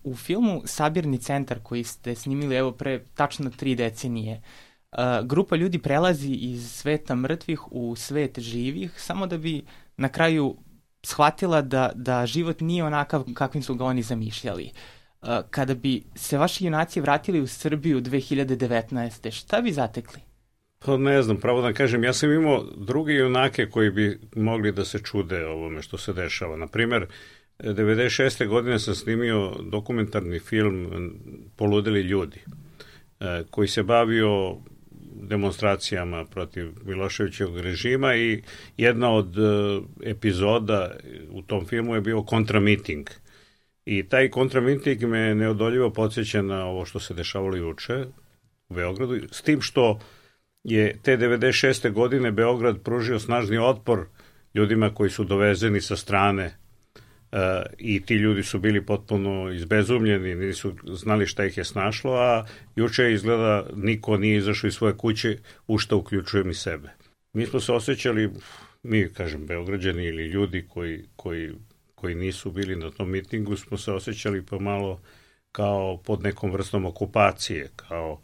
U filmu Sabirni centar koji ste snimili evo pre tačno 3 decenije, grupa ljudi prelazi iz sveta mrtvih u svet živih samo da bi na kraju shvatila da život nije onakav kakvim su ga oni zamišljali. Kada bi se vaši junaci vratili u Srbiju 2019. šta bi zatekli? Pa ne znam, pravo da kažem, ja sam imao druge junake koji bi mogli da se čude ovome što se dešava. Naprimer, 96. godine sam snimio dokumentarni film Poludeli ljudi, koji se bavio demonstracijama protiv Miloševićevog režima i jedna od epizoda u tom filmu je bio kontramiting. I taj kontramiting me neodoljivo podsjeća na ovo što se dešavalo juče u Beogradu, s tim što je te 96. godine Beograd pružio snažni otpor ljudima koji su dovezeni sa strane i ti ljudi su bili potpuno izbezumljeni, nisu znali šta ih je snašlo, a juče izgleda niko nije izašao iz svoje kuće, u šta uključujem i sebe. Mi smo se osjećali, mi kažem Beograđani ili ljudi koji nisu bili na tom mitingu, smo se osjećali pomalo kao pod nekom vrstom okupacije, kao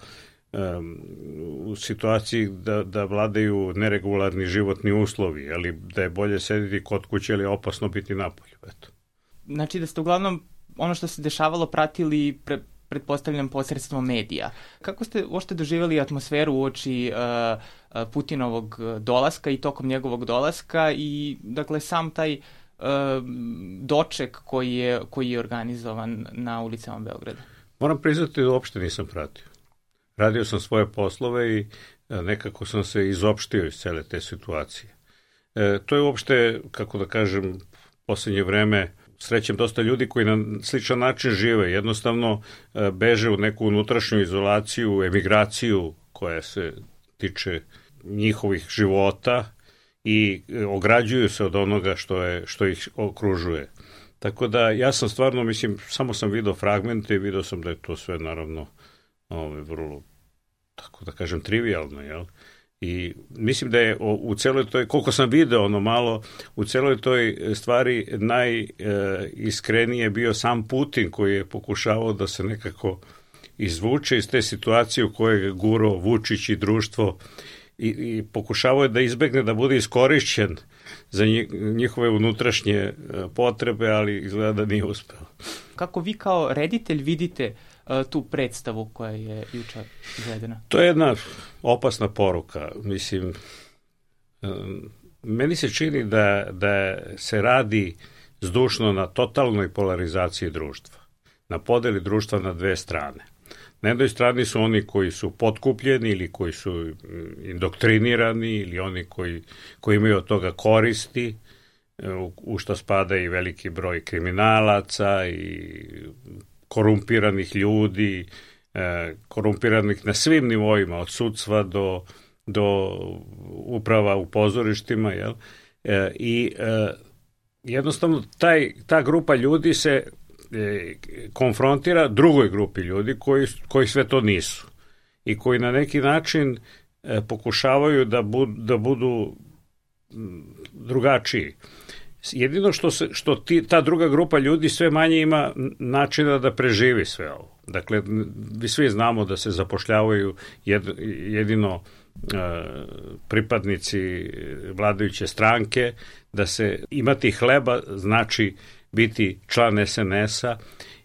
u situaciji da vladaju neregularni životni uslovi, ali da je bolje sediti kod kuće, ali je opasno biti napolju. Eto. Znači da ste uglavnom ono što se dešavalo pratili pretpostavljam posredstvom medija. Kako ste uopšte doživjeli atmosferu uoči Putinovog dolaska i tokom njegovog dolaska i dakle sam taj doček koji je organizovan na ulicama Beograda? Moram priznati da uopšte nisam pratio. Radio sam svoje poslove i nekako sam se izopštio iz cele te situacije. To je uopšte, kako da kažem, poslednje vreme srećem dosta ljudi koji na sličan način žive. Jednostavno beže u neku unutrašnju izolaciju, emigraciju koja se tiče njihovih života i ograđuju se od onoga što ih okružuje. Tako da ja sam stvarno, samo sam video fragmente i video sam da je to sve naravno vrlo, tako da kažem, trivialno, jel? I mislim da je u celoj toj, koliko sam video malo, u celoj toj stvari najiskrenije bio sam Putin koji je pokušavao da se nekako izvuče iz te situacije u kojoj je gurao Vučić i društvo i pokušavao je da izbegne da bude iskorišćen za njihove unutrašnje potrebe, ali izgleda da nije uspeo. Kako vi kao reditelj vidite tu predstavu koja je juče izvedena? To je jedna opasna poruka. Meni se čini da se radi zdušno na totalnoj polarizaciji društva, na podeli društva na dve strane. Na jednoj strani su oni koji su potkupljeni ili koji su indoktrinirani ili oni koji imaju od toga koristi, u što spada i veliki broj kriminalaca i korumpiranih ljudi, korumpiranih na svim nivoima, od sudstva do uprava u pozorištima, jel? I jednostavno ta grupa ljudi se konfrontira drugoj grupi ljudi koji sve to nisu i koji na neki način pokušavaju da budu drugačiji. Jedino što ta druga grupa ljudi sve manje ima načina da preživi sve ovo. Dakle, vi svi znamo da se zapošljavaju jedino pripadnici vladajuće stranke, da se imati hleba znači biti član SNS-a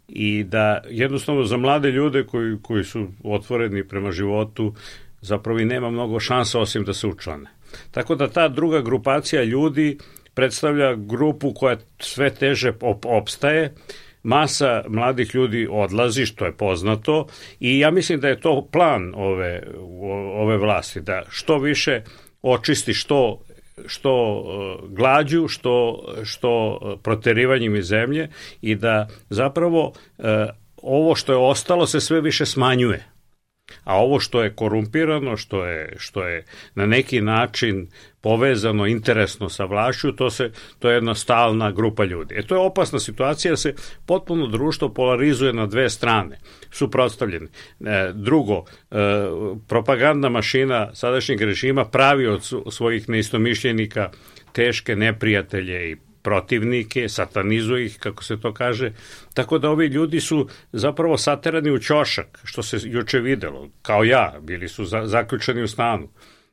i da jednostavno za mlade ljude koji su otvoreni prema životu zapravo i nema mnogo šansa osim da se učlane. Tako da ta druga grupacija ljudi predstavlja grupu koja sve teže opstaje, masa mladih ljudi odlazi, što je poznato, i ja mislim da je to plan ove vlasti, da što više očisti što glađu, što proterivanjem iz zemlje i da zapravo ovo što je ostalo se sve više smanjuje. A ovo što je korumpirano, što je na neki način povezano interesno sa vlašću, to je jedna stalna grupa ljudi. To je opasna situacija, da se potpuno društvo polarizuje na dve strane, suprotstavljene. Drugo, propagandna mašina sadašnjeg režima pravi od svojih neistomišljenika teške neprijatelje i protivnike, satanizuje ih, kako se to kaže, tako da ovi ljudi su zapravo saterani u ćošak, što se juče videlo, kao ja, bili su zaključani u stanu.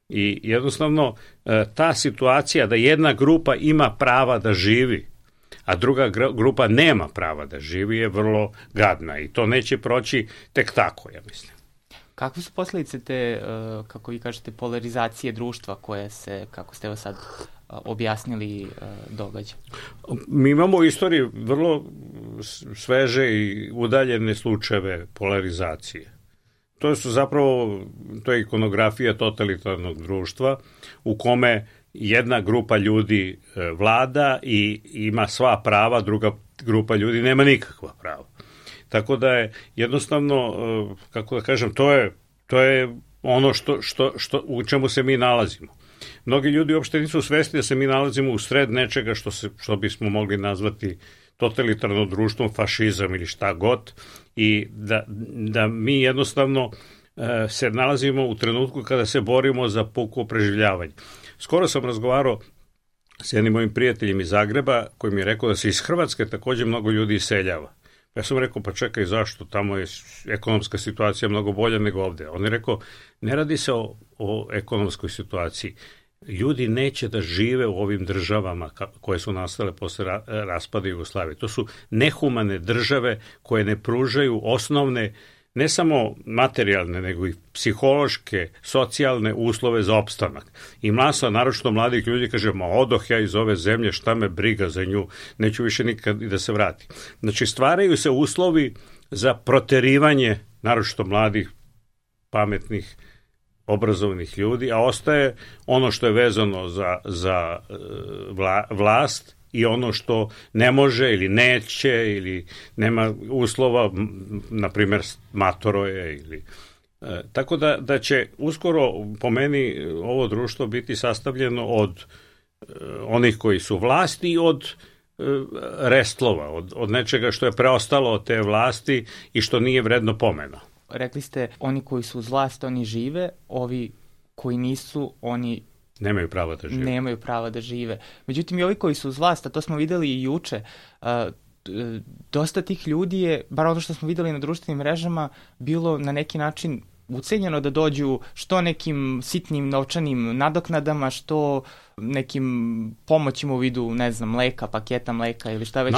I jednostavno ta situacija da jedna grupa ima prava da živi, a druga grupa nema prava da živi je vrlo gadna i to neće proći tek tako, ja mislim. Kakve su posljedice te, kako vi kažete, polarizacije društva koje se, kako ste evo sad objasnili, događa? Mi imamo u istoriji vrlo sveže i udaljene slučajeve polarizacije. To su zapravo, to je ikonografija totalitarnog društva u kome jedna grupa ljudi vlada i ima sva prava, druga grupa ljudi nema nikakva prava. Tako da je jednostavno, kako da kažem, to je ono u čemu se mi nalazimo. Mnogi ljudi uopšte nisu svesni da se mi nalazimo u sred nečega što bismo mogli nazvati totalitarno društvom, fašizam ili šta god, i da mi jednostavno se nalazimo u trenutku kada se borimo za puko preživljavanje. Skoro sam razgovarao s jednim mojim prijateljem iz Zagreba koji mi je rekao da se iz Hrvatske također mnogo ljudi iseljava. Ja sam rekao, pa čekaj, zašto? Tamo je ekonomska situacija mnogo bolja nego ovde. On je rekao, ne radi se o ekonomskoj situaciji. Ljudi neće da žive u ovim državama koje su nastale posle raspada Jugoslavije. To su nehumane države koje ne pružaju osnovne, ne samo materijalne, nego i psihološke, socijalne uslove za opstanak. I masa, naročito mladih ljudi, kaže, ma odoh ja iz ove zemlje, šta me briga za nju, neću više nikad i da se vrati. Znači, stvaraju se uslovi za proterivanje, naročito mladih, pametnih, obrazovnih ljudi, a ostaje ono što je vezano za vlast i ono što ne može ili neće ili nema uslova, na primjer matoroje ili tako da će uskoro po meni ovo društvo biti sastavljeno od onih koji su vlasti i od restlova, od nečega što je preostalo od te vlasti i što nije vredno pomena. Rekli ste, oni koji su uz vlast, oni žive, ovi koji nisu, oni nemaju prava da žive. Međutim, i ovi koji su uz vlast, a to smo videli i juče, dosta tih ljudi je, bar ono što smo videli na društvenim mrežama, bilo na neki način ucenjeno da dođu što nekim sitnim novčanim nadoknadama, što nekim pomoćima u vidu, ne znam, mleka, paketa mleka ili šta već.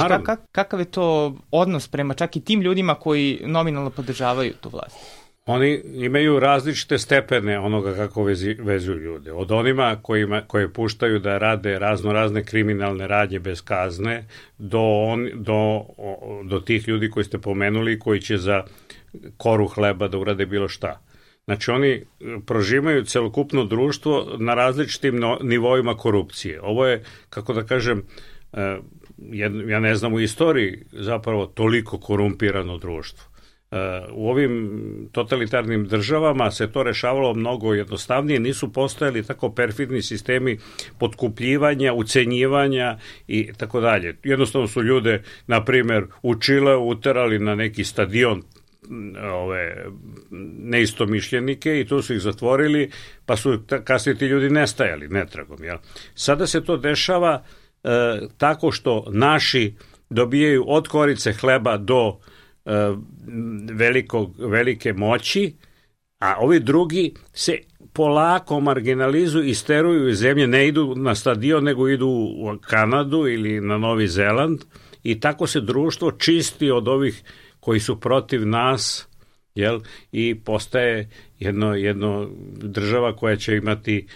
Kakav je to odnos prema čak i tim ljudima koji nominalno podržavaju tu vlast? Oni imaju različite stepene onoga kako vezuju ljude. Od onima koje puštaju da rade razne kriminalne radnje bez kazne do tih ljudi koji ste pomenuli koji će za koru hleba da urade bilo šta. Znači oni prožimaju celokupno društvo na različitim nivoima korupcije. Ovo je, kako da kažem, ja ne znam u istoriji zapravo toliko korumpirano društvo. U ovim totalitarnim državama se to rešavalo mnogo jednostavnije, nisu postojali tako perfidni sistemi potkupljivanja, ucenjivanja i tako dalje. Jednostavno su ljude, na primjer, u Čileu uterali na neki stadion neistomišljenike i tu su ih zatvorili, pa su kasnije ti ljudi nestajali netragom. Jel? Sada se to dešava tako što naši dobijaju od korice hleba do velike moći, a ovi drugi se polako marginalizuju i steruju iz zemlje, ne idu na stadion, nego idu u Kanadu ili na Novi Zeland i tako se društvo čisti od ovih koji su protiv nas, jel? I postaje jedno država koja će imati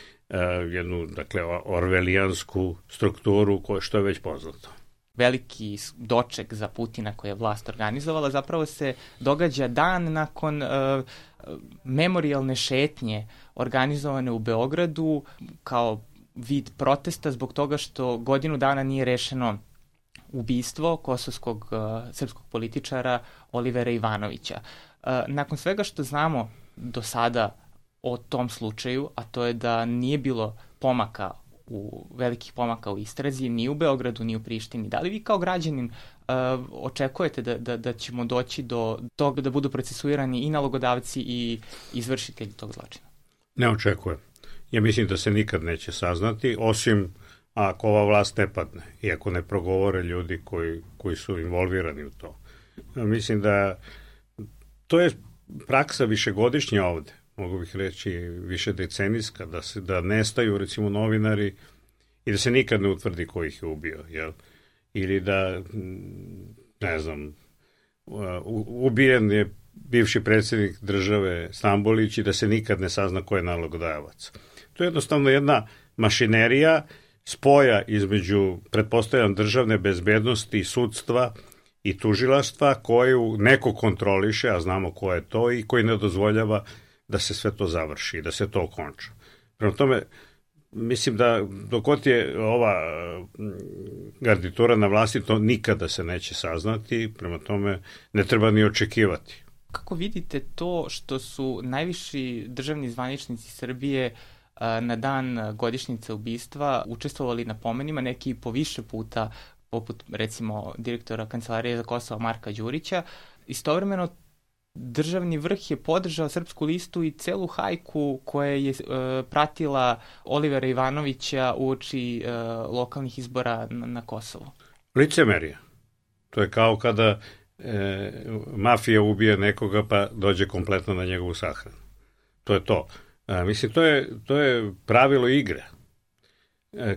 jednu, dakle, orvelijansku strukturu što je već poznato. Veliki doček za Putina koji je vlast organizovala zapravo se događa dan nakon memorijalne šetnje organizovane u Beogradu kao vid protesta zbog toga što godinu dana nije rešeno ubistvo kosovskog srpskog političara Olivera Ivanovića. Nakon svega što znamo do sada o tom slučaju, a to je da nije bilo velikih pomaka u istrazi, ni u Beogradu, ni u Prištini. Da li vi kao građanin očekujete da ćemo doći do toga da budu procesuirani i nalogodavci i izvršitelji tog zločina? Ne očekujem. Ja mislim da se nikad neće saznati, osim ako ova vlast ne padne i ako ne progovore ljudi koji su involvirani u to. Mislim da to je praksa višegodišnja ovde, mogu bih reći više decenijska, da nestaju recimo novinari i da se nikad ne utvrdi ko ih je ubio, jel? Ili da, ne znam, ubijen je bivši predsjednik države Stambolić i da se nikad ne sazna ko je nalogodavac. To je jednostavno jedna mašinerija spoja između, pretpostavljam, državne bezbednosti, sudstva i tužilaštva koju neko kontroliše, a znamo ko je to, i koji ne dozvoljava da se sve to završi, da se to okonča. Prema tome, mislim da dok je ova garnitura na vlasti, to nikada se neće saznati, prema tome ne treba ni očekivati. Kako vidite to što su najviši državni zvaničnici Srbije na dan godišnjice ubistva učestvovali na pomenima, neki po više puta, poput recimo direktora Kancelarije za Kosovo Marka Đurića. Istovremeno državni vrh je podržao Srpsku listu i celu hajku koja je pratila Olivera Ivanovića uoči lokalnih izbora na Kosovu. Licemerje. To je kao kada mafija ubije nekoga pa dođe kompletno na njegovu sahranu. To je to. Mislim, to je pravilo igre.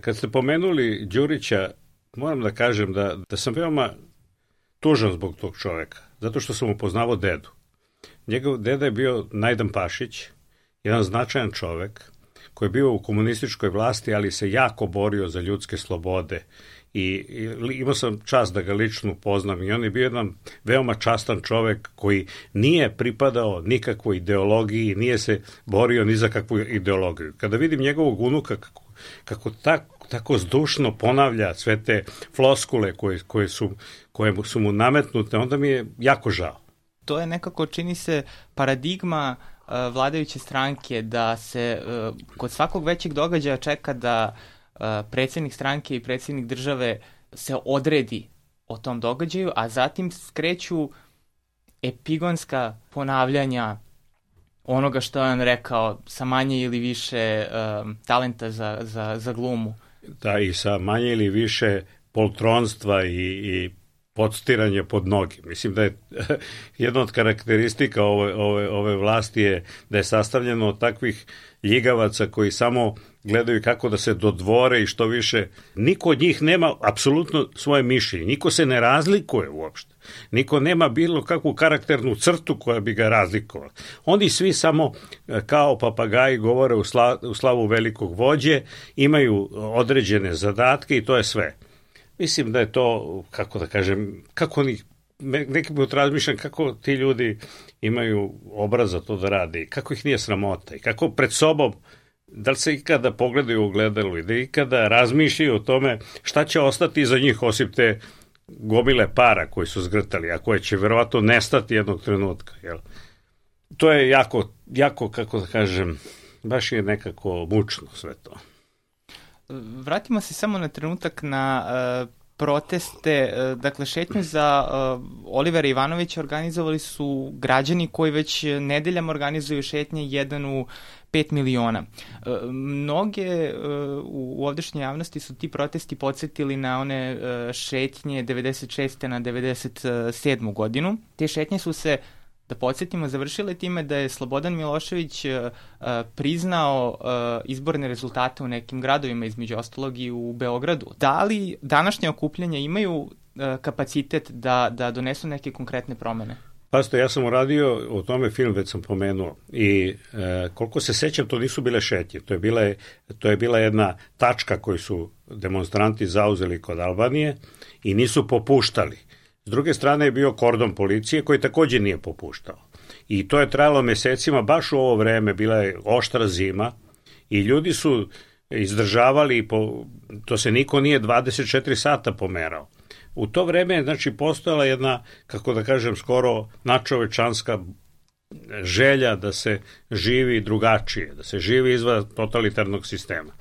Kad ste pomenuli Đurića, moram da kažem da sam veoma tužan zbog tog čoveka, zato što sam upoznavao dedu. Njegov deda je bio Najdan Pašić, jedan značajan čovek koji je bio u komunističkoj vlasti, ali se jako borio za ljudske slobode i imao sam čast da ga lično upoznam i on je bio jedan veoma častan čovek koji nije pripadao nikakvoj ideologiji, nije se borio ni za kakvu ideologiju. Kada vidim njegovog unuka kako tako zdušno ponavlja sve te floskule koje su mu nametnute, onda mi je jako žao. To je nekako, čini se, paradigma vladajuće stranke da se kod svakog većeg događaja čeka da predsjednik stranke i predsjednik države se odredi o tom događaju, a zatim skreću epigonska ponavljanja onoga što je on rekao sa manje ili više talenta za glumu. Da, i sa manje ili više poltronstva i podstiranje pod noge. Mislim da je jedna od karakteristika ove vlasti je da je sastavljeno od takvih ljigavaca koji samo gledaju kako da se dodvore i što više. Niko od njih nema apsolutno svoje mišljenje. Niko se ne razlikuje uopšte. Niko nema bilo kakvu karakternu crtu koja bi ga razlikovala. Oni svi samo kao papagaji govore u slavu velikog vođe, imaju određene zadatke i to je sve. Mislim da je to, kako da kažem, kako oni, neki put razmišljam kako ti ljudi imaju obraz za to da rade i kako ih nije sramota i kako pred sobom, da li se ikada pogledaju u ogledalu i da ikada razmišljaju o tome šta će ostati iza njih osim te gomile para koji su zgrtali, a koje će verovatno nestati jednog trenutka. Jel? To je jako, kako da kažem, baš je nekako mučno sve to. Vratimo se samo na trenutak na proteste. Dakle, šetnju za Olivera Ivanovića organizovali su građani koji već nedeljama organizuju šetnje, jedan u 5 miliona. Mnoge u ovdašnjoj javnosti su ti protesti podsjetili na one šetnje 96. na 97. godinu. Te šetnje su se, da podsjetimo, završile time da je Slobodan Milošević priznao izborne rezultate u nekim gradovima, između ostalog i u Beogradu. Da li današnje okupljanja imaju kapacitet da donesu neke konkretne promene? Pazite, ja sam uradio o tome film, već sam pomenuo, i koliko se sećam, to nisu bile šetnje, to je bila jedna tačka koju su demonstranti zauzeli kod Albanije i nisu popuštali. S druge strane je bio kordon policije koji takođe nije popuštao. I to je trajalo mesecima, baš u ovo vreme, bila je oštra zima i ljudi su izdržavali, to se niko nije 24 sata pomerao. U to vreme je, znači, postojala jedna, kako da kažem, skoro nadčovečanska želja da se živi drugačije, da se živi izvan totalitarnog sistema.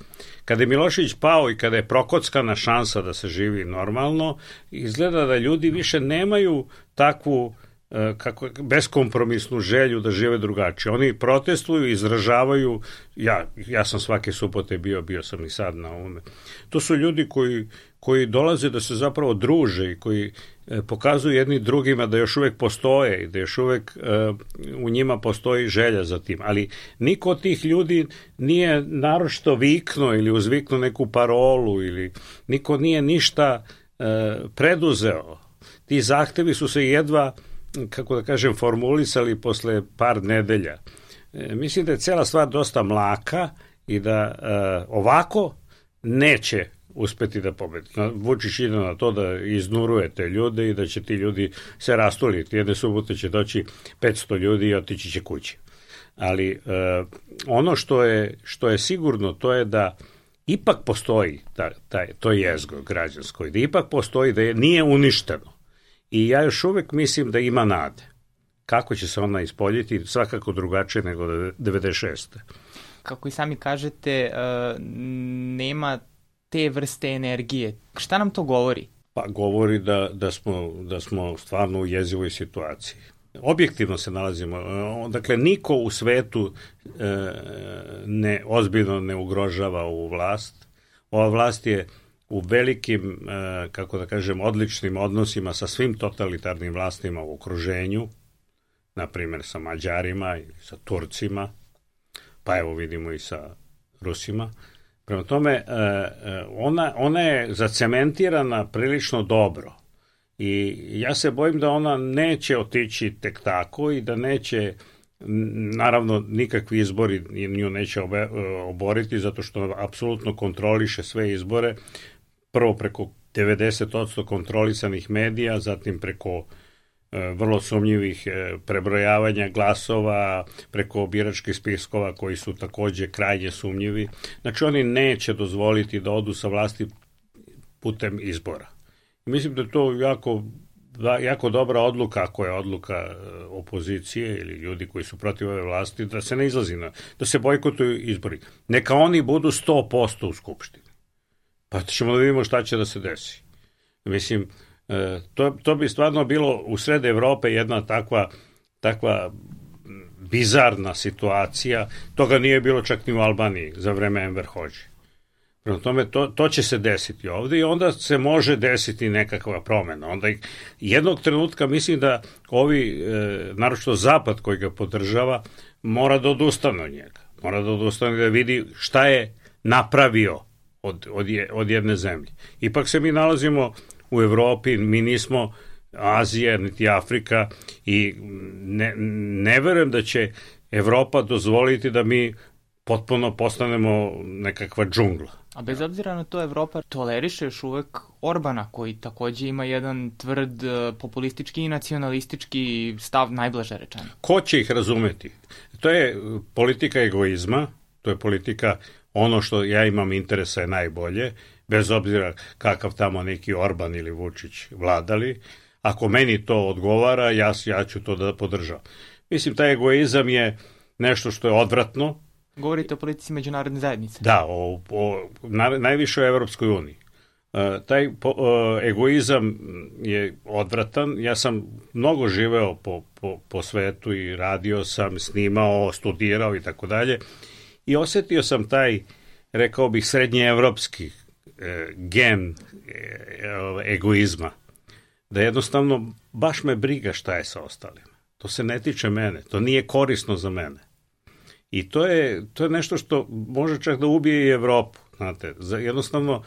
Kada je Milošević pao i kada je prokockana šansa da se živi normalno, izgleda da ljudi više nemaju takvu beskompromisnu želju da žive drugačije. Oni protestuju, izražavaju, ja sam svake subote bio sam i sad na ovome. To su ljudi koji dolaze da se zapravo druže i koji pokazuju jedni drugima da još uvek postoje i da još uvek u njima postoji želja za tim. Ali niko od tih ljudi nije naročito viknuo ili uzviknuo neku parolu ili niko nije ništa preduzeo. Ti zahtevi su se jedva, kako da kažem, formulisali posle par nedelja. Mislim da je cela stvar dosta mlaka i da ovako neće uspeti da pobedi. Vučić ide na to da iznuruje te ljude i da će ti ljudi se rastoliti. Jedne subote će doći 500 ljudi i otići će kući. Ali ono što je sigurno, to je da ipak postoji to jezgo građansko i da ipak postoji, da nije uništeno. I ja još uvek mislim da ima nade. Kako će se ona ispoljiti, svakako drugačije nego 96. Kako i sami kažete, nema te vrste energije. Šta nam to govori? Pa govori da smo stvarno u jezivoj situaciji. Objektivno se nalazimo. Dakle, niko u svetu ozbiljno ne ugrožava ovu vlast. Ova vlast je u velikim, kako da kažem, odličnim odnosima sa svim totalitarnim vlastima u okruženju, na primjer sa Mađarima i sa Turcima, pa evo vidimo i sa Rusima. Prema tome, ona je zacementirana prilično dobro i ja se bojim da ona neće otići tek tako i da neće, naravno, nikakvi izbori nju neće oboriti zato što apsolutno kontroliše sve izbore, prvo preko 90% kontrolisanih medija, zatim preko vrlo sumnjivih prebrojavanja glasova, preko biračkih spiskova koji su takođe krajnje sumnjivi. Znači oni neće dozvoliti da odu sa vlasti putem izbora. Mislim da je to jako dobra odluka, ako je odluka opozicije ili ljudi koji su protiv ove vlasti, da se ne izlazi, da se bojkotuju izbori. Neka oni budu 100% u Skupštini. Pa ćemo da vidimo šta će da se desi. Mislim, to bi stvarno bilo u sred Evrope jedna takva bizarna situacija. Toga nije bilo čak ni u Albaniji za vreme Enver Hodži. Prema tome, to će se desiti ovde i onda se može desiti nekakva promena. Onda jednog trenutka mislim da ovi, naročito Zapad koji ga podržava, mora da odustane od njega. Mora da odustane da vidi šta je napravio od jedne zemlje. Ipak se mi nalazimo u Evropi, mi nismo Azija, niti Afrika i ne verujem da će Evropa dozvoliti da mi potpuno postanemo nekakva džungla. A bez obzira na to, Evropa toleriše još uvek Orbana, koji takođe ima jedan tvrd populistički i nacionalistički stav, najblaže rečeno. Ko će ih razumeti? To je politika egoizma, to je politika ono što ja imam interesa je najbolje, bez obzira kakav tamo neki Orban ili Vučić vladali. Ako meni to odgovara, ja ću to da podržavam. Mislim, taj egoizam je nešto što je odvratno. Govorite o politici međunarodne zajednice. Da, najviše o Evropskoj uniji. Taj egoizam je odvratan. Ja sam mnogo živeo po svetu i radio sam, snimao, studirao i tako dalje. I osetio sam taj, rekao bih, srednjeevropski gen egoizma. Da jednostavno baš me briga šta je sa ostalima. To se ne tiče mene, to nije korisno za mene. I to je nešto što može čak da ubije i Evropu. Znate, jednostavno,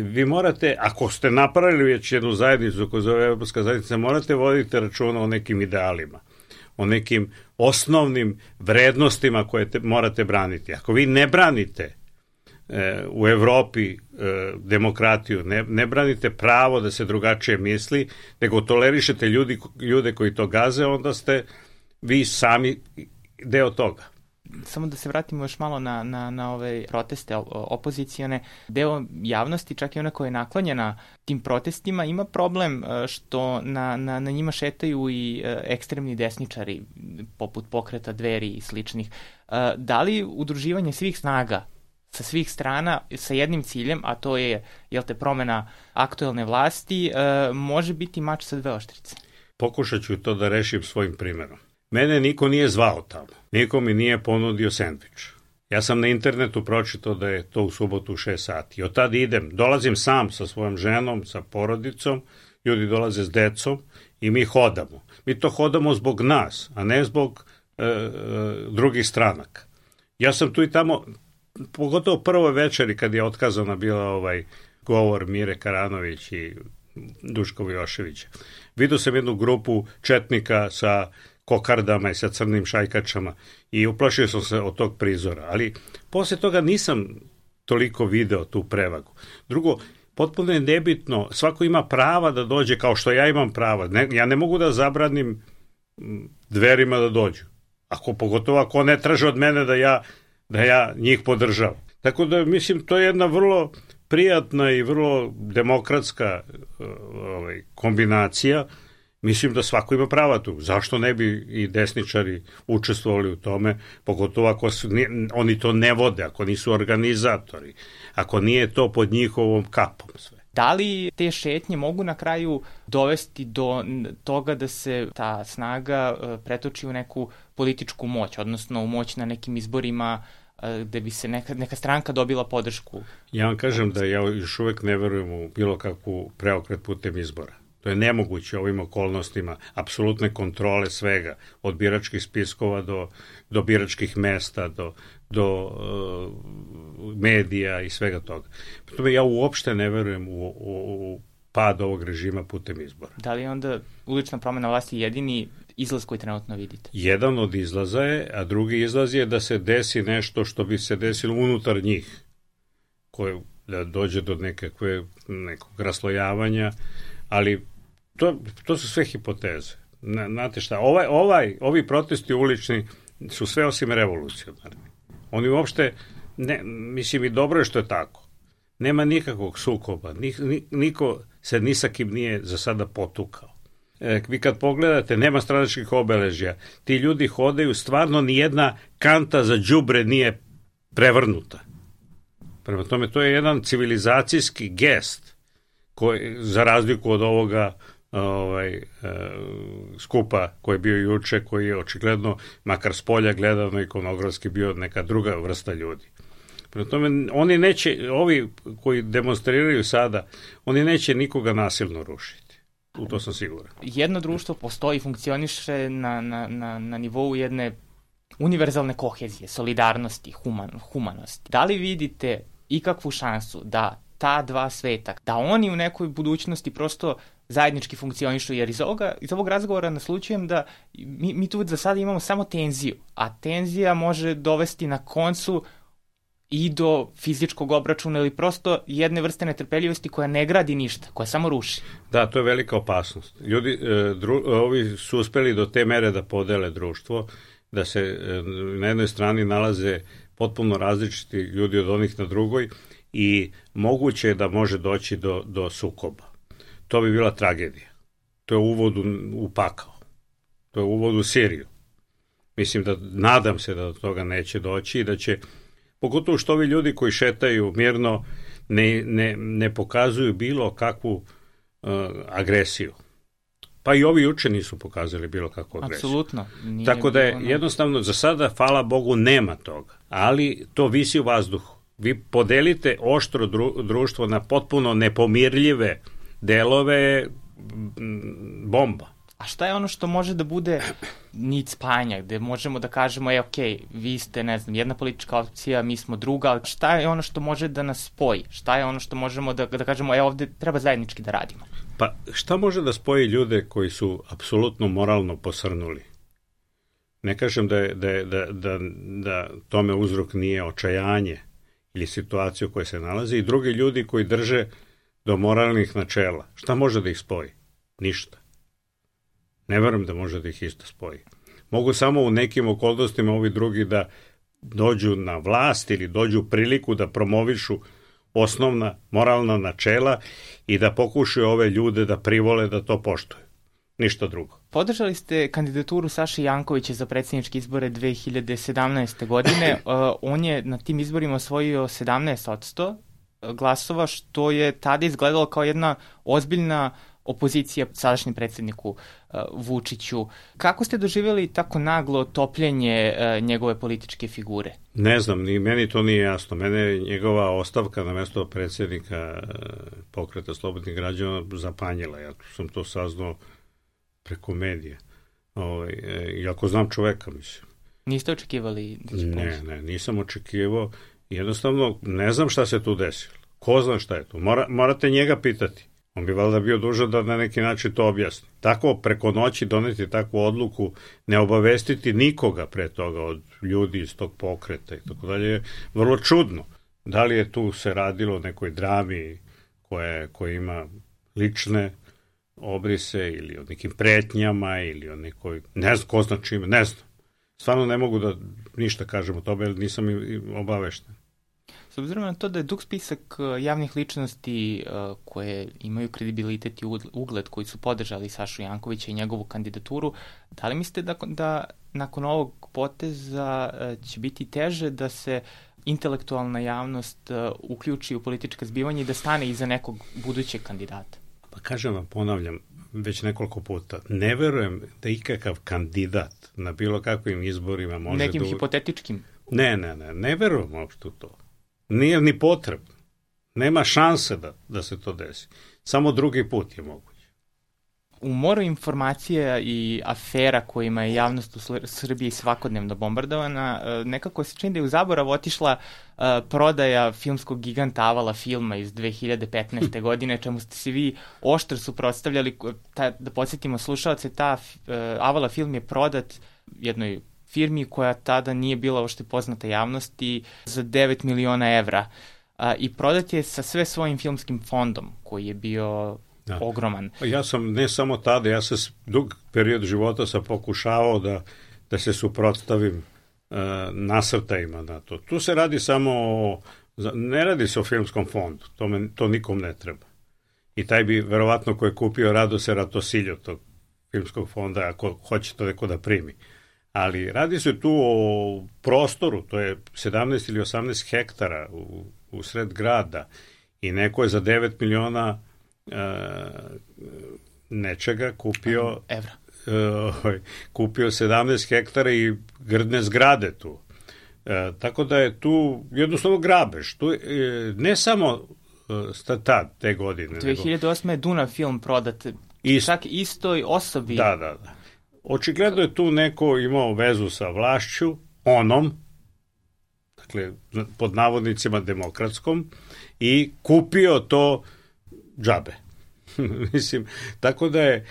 vi morate, ako ste napravili već jednu zajednicu koja zove Evropska zajednica, morate voditi računa o nekim idealima, o nekim osnovnim vrednostima koje morate braniti. Ako vi ne branite u Evropi demokratiju, ne branite pravo da se drugačije misli, nego tolerišete ljude koji to gaze, onda ste vi sami deo toga. Samo da se vratimo još malo na ove proteste opozicione. Deo javnosti, čak i ona koja je naklonjena tim protestima, ima problem što na njima šetaju i ekstremni desničari, poput Pokreta Dveri i sličnih. Da li udruživanje svih snaga sa svih strana sa jednim ciljem, a to je promena aktuelne vlasti, može biti mač sa dve oštrice? pokušat ću to da rešim svojim primjerom. Mene niko nije zvao tamo, niko mi nije ponudio sendvič. Ja sam na internetu pročitao da je to u subotu u 6 sati. Od tada dolazim sam sa svojom ženom, sa porodicom, ljudi dolaze s decom i mi hodamo. Mi to hodamo zbog nas, a ne zbog drugih stranaka. Ja sam tu i tamo, pogotovo prvoj večeri kad je otkazana bila govor Mire Karanović i Duško Vijoševića. Vidio sam jednu grupu četnika sa kokardama i sa crnim šajkačama i uplašio sam se od tog prizora, ali posle toga nisam toliko video tu prevagu. Drugo, potpuno je nebitno, svako ima prava da dođe kao što ja imam prava. Ja ne mogu da zabranim Dverima da dođu. Pogotovo ako ne traže od mene da ja njih podržavam. Tako da mislim to je jedna vrlo prijatna i vrlo demokratska kombinacija. Mislim da svako ima prava tu. Zašto ne bi i desničari učestvovali u tome, pogotovo ako oni to ne vode, ako nisu organizatori, ako nije to pod njihovom kapom sve. Da li te šetnje mogu na kraju dovesti do toga da se ta snaga pretoči u neku političku moć, odnosno u moć na nekim izborima gde bi se neka stranka dobila podršku? Ja vam kažem da ja još uvek ne verujem u bilo kakvu preokret putem izbora. To je nemoguće ovim okolnostima, apsolutne kontrole svega, od biračkih spiskova do biračkih mesta, do medija i svega toga. Tome ja uopšte ne verujem u pad ovog režima putem izbora. Da li je onda ulična promena vlasti jedini izlaz koji trenutno vidite? Jedan od izlaza je, a drugi izlaz je da se desi nešto što bi se desilo unutar njih, da dođe do nekog raslojavanja, ali to su sve hipoteze. Znate šta, ovi protesti ulični su sve osim revolucionarni. Oni uopšte, mislim i dobro je što je tako. Nema nikakvog sukoba, niko se ni sa kim nije za sada potukao. Vi kad pogledate, nema stranačkih obeležja, ti ljudi hodaju, stvarno nijedna kanta za đubre nije prevrnuta. Prema tome, to je jedan civilizacijski gest, za razliku od ovoga skupa koji je bio juče, koji je očigledno, makar s polja gledano ikonografski, bio neka druga vrsta ljudi. Prema tome, oni neće, ovi koji demonstriraju sada, oni neće nikoga nasilno rušiti. U to sam siguran. Jedno društvo postoji i funkcioniše na nivou jedne univerzalne kohezije, solidarnosti, humanosti. Da li vidite ikakvu šansu da ta dva sveta, da oni u nekoj budućnosti prosto zajednički funkcionišu, jer iz ovog razgovora naslučujem da mi tu za sada imamo samo tenziju, a tenzija može dovesti na koncu i do fizičkog obračuna ili prosto jedne vrste netrpeljivosti koja ne gradi ništa, koja samo ruši. Da, to je velika opasnost. Ljudi, ovi su uspeli do te mere da podele društvo, da se na jednoj strani nalaze potpuno različiti ljudi od onih na drugoj i moguće je da može doći do sukoba. To bi bila tragedija. To je uvod u pakao. To je uvod u Siriju. Mislim nadam se da do toga neće doći i da će, pogotovo što ovi ljudi koji šetaju mirno ne pokazuju bilo kakvu agresiju. Pa i ovi juče nisu pokazali bilo kakvu agresiju. Apsolutno. Tako da je jednostavno za sada, hvala Bogu, nema toga. Ali to visi u vazduhu. Vi podelite oštro društvo na potpuno nepomirljive delove, bomba. A šta je ono što može da bude nit spajanja, gde možemo da kažemo, vi ste, ne znam, jedna politička opcija, mi smo druga, ali šta je ono što može da nas spoji? Šta je ono što možemo da kažemo, ovde treba zajednički da radimo? Pa šta može da spoji ljude koji su apsolutno moralno posrnuli? Ne kažem da tome uzrok nije očajanje ili situacija u kojoj se nalazi, i drugi ljudi koji drže do moralnih načela. Šta može da ih spoji? Ništa. Ne verujem da može da ih isto spoji. Mogu samo u nekim okolnostima ovi drugi da dođu na vlast ili dođu u priliku da promovišu osnovna moralna načela i da pokušaju ove ljude da privole da to poštuju. Ništa drugo. Podržali ste kandidaturu Saše Jankovića za predsjedničke izbore 2017. godine. On je na tim izborima osvojio 17% glasova, što je tada izgledalo kao jedna opozicija sadašnjem predsjedniku Vučiću. Kako ste doživjeli tako naglo topljenje njegove političke figure? Ne znam, ni meni to nije jasno. Mene je njegova ostavka na mjesto predsjednika Pokreta slobodnih građana zapanjila. Ja sam to saznao preko medija. Iako znam čoveka, mislim. Niste očekivali da će pomoći? Ne, nisam očekivao. Jednostavno, ne znam šta se tu desilo. Ko zna šta je tu? Morate njega pitati. On bi valjda bio dužan da na neki način to objasni. Tako preko noći doneti takvu odluku, ne obavestiti nikoga pre toga od ljudi iz tog pokreta i tako dalje, je vrlo čudno. Da li je tu se radilo o nekoj drami koja ima lične obrise ili o nekim pretnjama ili o nekoj, ne znam ko zna čime, ne znam. Stvarno ne mogu da ništa kažem o tome, jer nisam obavešten. S obzirom na to da je dug spisak javnih ličnosti koje imaju kredibilitet i ugled, koji su podržali Sašu Jankovića i njegovu kandidaturu, da li mislite da nakon ovog poteza će biti teže da se intelektualna javnost uključi u politička zbivanja i da stane iza nekog budućeg kandidata? Pa kažem vam, ponavljam već nekoliko puta, ne verujem da ikakav kandidat na bilo kakvim izborima može nekim hipotetičkim? Ne verujem uopšte u to. Nije ni potrebno. Nema šanse da se to desi. Samo drugi put je moguće. U moru informacija i afera kojima je javnost u Srbiji svakodnevno bombardovana, nekako se čini da je u zaborav otišla prodaja filmskog giganta Avala filma iz 2015. godine, čemu ste se vi oštro suprotstavljali. Da podsjetimo slušalce, Avala film je prodat jednoj firmi koja tada nije bila uopšte poznata javnosti za 9 miliona evra. I prodat je sa sve svojim filmskim fondom koji je bio ogroman. Ja sam ne samo tada, ja sam dug period života sam pokušavao da se suprotstavim nasrtajima na to. Tu se radi samo ne radi se o filmskom fondu, to nikom ne treba. I taj bi verovatno ko je kupio rado se ratosiljo tog filmskog fonda ako hoće to neko da primi. Ali radi se tu o prostoru, to je 17 ili 18 hektara u sred grada i neko je za 9 miliona nečega kupio evra. Kupio 17 hektara i grdne zgrade tu. Tako da je tu jednostavno grabež. Tu, ne samo te godine. 2008. je Dunav film prodat čak istoj osobi. Da. Očigledno je tu neko imao vezu sa vlašću, dakle, pod navodnicima demokratskom, i kupio to džabe. Mislim, tako da je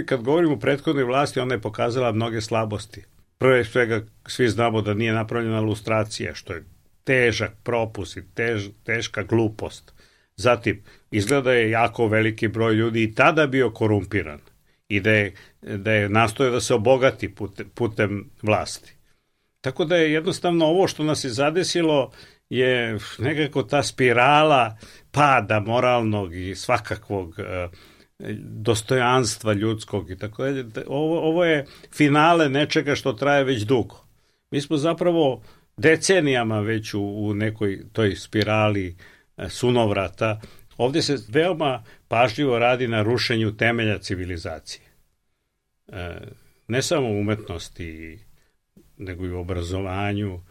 kad govorimo o prethodnoj vlasti, ona je pokazala mnoge slabosti. Prvo svega, svi znamo da nije napravljena lustracija, što je težak propust i teška glupost. Zatim, izgleda je jako veliki broj ljudi i tada bio korumpiran i da je nastojao da se obogati putem vlasti. Tako da je jednostavno ovo što nas je zadesilo je nekako ta spirala pada moralnog i svakakvog dostojanstva ljudskog i tako dalje. Ovo je finale nečega što traje već dugo. Mi smo zapravo decenijama već u nekoj toj spirali sunovrata. Ovdje se veoma pažljivo radi na rušenju temelja civilizacije. Ne samo u umetnosti, nego i u obrazovanju,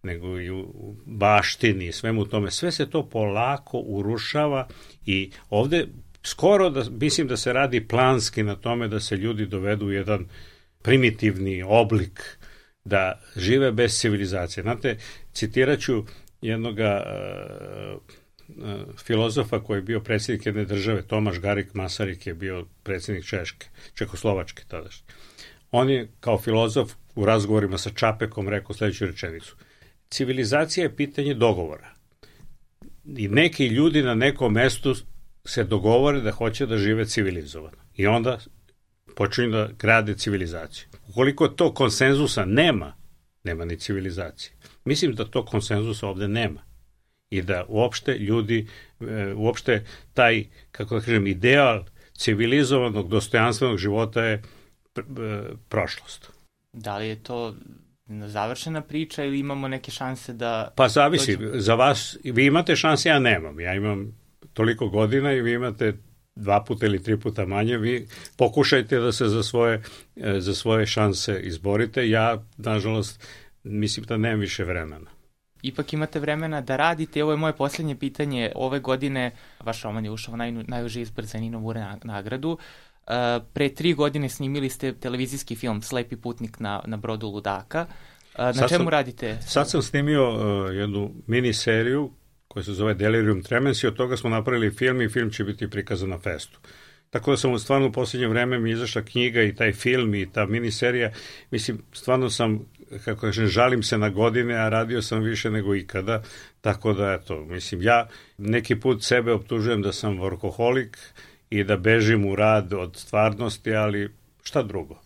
nego i u baštini, svemu tome. Sve se to polako urušava i ovdje skoro mislim da se radi planski na tome da se ljudi dovedu u jedan primitivni oblik, da žive bez civilizacije. Znate, citirat ću jednoga filozofa koji je bio predsjednik jedne države, Tomaš Garik Masaryk je bio predsjednik Čekoslovačke tadašnje. On je kao filozof u razgovorima sa Čapekom rekao sljedeću rečenicu. Civilizacija je pitanje dogovora. I neki ljudi na nekom mestu se dogovore da hoće da žive civilizovano. I onda počinju da grade civilizaciju. Ukoliko to konsenzusa nema ni civilizacije. Mislim da to konsenzusa ovdje nema. I da uopšte ljudi, uopšte taj, kako da kažem, ideal civilizovanog, dostojanstvenog života je prošlost. Da li je to završena priča ili imamo neke šanse da... Pa zavisi, za vas, vi imate šanse, ja nemam. Ja imam toliko godina i vi imate 2 puta ili 3 puta manje, vi pokušajte da se za svoje šanse izborite. Ja, nažalost, mislim da nemam više vremena. Ipak imate vremena da radite. Ovo je moje posljednje pitanje. Ove godine vaš roman je ušao najuži izbor za Ninovu nagradu. Pre 3 godine snimili ste televizijski film Slepi putnik na brodu ludaka. Na čemu radite? Sad sam snimio jednu mini seriju koja se zove Delirium Tremens i od toga smo napravili film i film će biti prikazan na festu. Tako da sam stvarno u posljednje vreme mi izašla knjiga i taj film i ta miniserija. Mislim, stvarno sam, kako kažem, žalim se na godine, a radio sam više nego ikada. Tako da, eto, mislim, ja neki put sebe optužujem da sam workoholik i da bežim u rad od stvarnosti, ali šta drugo?